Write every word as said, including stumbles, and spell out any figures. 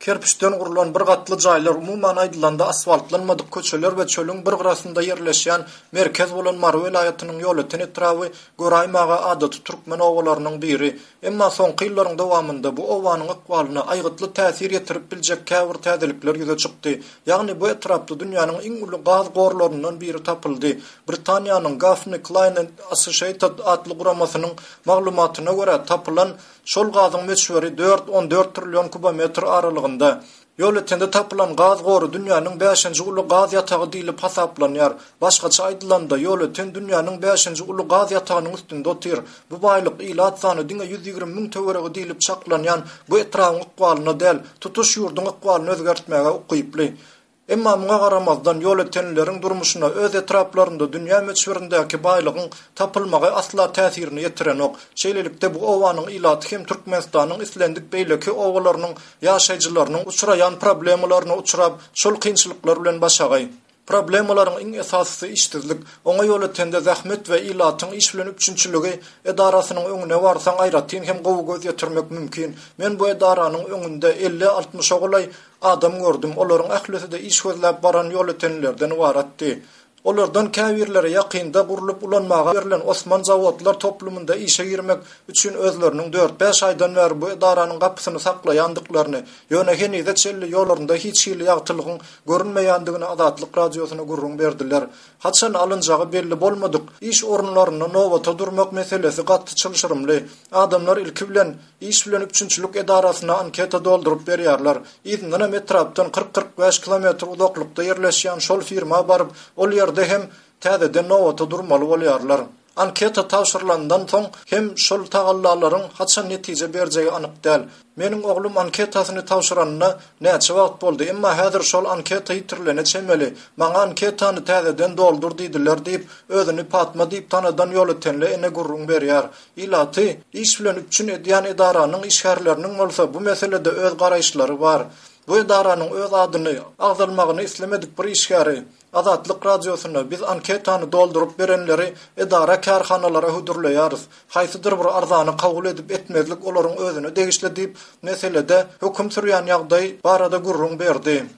Kerpiçden gurlan bir gatly jaýlar, umuman aýdylanda asfaltlanmadyk köçeler we çölüň bir gyrasynda ýerleşýän merkez bolan Mary welaýatynyň Ýolöten etraby göräýmäge adaty türkmen obalarynyň biri. Emma soňky ýyllaryň dowamynda bu obanyň ykbalyna aýgytly täsir ýetirip biljek käbir täzelikler ýüze çykdy. Ýagny bu etrapda dünýäniň iň uly gaz gorlaryndan biri tapyldy. Britaniýanyň Gaffney Cline and Associated atly guramasynyň maglumatyna görä, tapylan şol gazyň möçberi dört on dört trillion kubometr aralygynda. Ýolötende tapylan gaz gory dünýäniň bäşinji uly gaz ýatagy diýlip hasaplanýar. Başgaça aýdylanda, Ýolöten dünýäniň bäşinji uly gaz ýatagynyň üstünde otyr. Bu baýlyk ilat sany diňe ýüz ýigrimi müň töweregi diýlip çaklanýan bu etrabyň ykbalyna däl, tutuş ýurduň ykbalyny özgertmäge ukyply. Emma muňa garamazdan, ýolötenlileriň durmuşyna öz etraplarynda dünýä möçberindäki baýlygyň tapylmagy asla täsirini ýetirenok. Şeýlelikde, bu obanyň ilaty hem Türkmenistanyň islendik beýleki obalarynyň ýaşaýjylarynyň uçraýan problemalaryna uçrap, şol kynçylyklar bilen başagaý. Problemalaryň iň esasysy işsizlik. Oňa Ýolötende zähmet we ilatyň iş bilen üpjünçiligi edarasynyň öňüne barsaň aýratyn hem gowy göz ýetirmek mümkin. Men bu edaranyň öňünde elli-altmyşa golaý adam gördüm. Olaryň ählisi-de iş gözläp baran ýolötenlilerden ybaratdy. Olardan käbirleri ýakynda gurlup ulanmaga berlen Osman zawodlar toplumynda işe girmek üçin özleriniň dört-bäş aýdan bäri bu edaranyň gapysyny saklaýandyklaryny, ýöne henize çenli ýollarynda hiç hili ýagtylygyň görünmeýändigini Azatlyk Radiosyna gürrüň berdiler. Haçan alynjagy belli bolmadyk iş orunlarynda nobata durmak meselesi gaty çylşyrymly. Adamlar ilki bilen iş bilen üpjünçilik edarasyna anketa dolduryp berýärler. Yzyndanam etrapdan kyrk-kyrk bäş kilometr uzaklykda ýerleşýän şol firma baryp, ol ýerde hem täzeden nobata durmaly bolýarlar. Anketa tabşyrylandan soň hem şol tagallalaryň haçan netije berjegi anyk däl. Meniň oglum anketasyny tabşyranyna näçe wagt boldy, emma häzir şol anketa ýitirilene çemeli. Maňa anketany täzeden doldur diýdiler diýip, özüni Patma diýip tanadan ýolötenli ene gürrüň berýär. Ilaty iş bilen üpjün edýän edaranyň işgärleriniň bolsa bu meselede öz garaýyşlary bar. Bu edaranyň öz adyny agzalmagyny islemedik bir işgäri Azatlyk Radiosyna biz anketany dolduryp berenleri edara kärhanalara hödürleýäris. Haýsydyr bir arzany kabul edip etmezlik olaryň özüne degişli diýip, meselede höküm sürýän ýagdaý barada gürrüň berdi.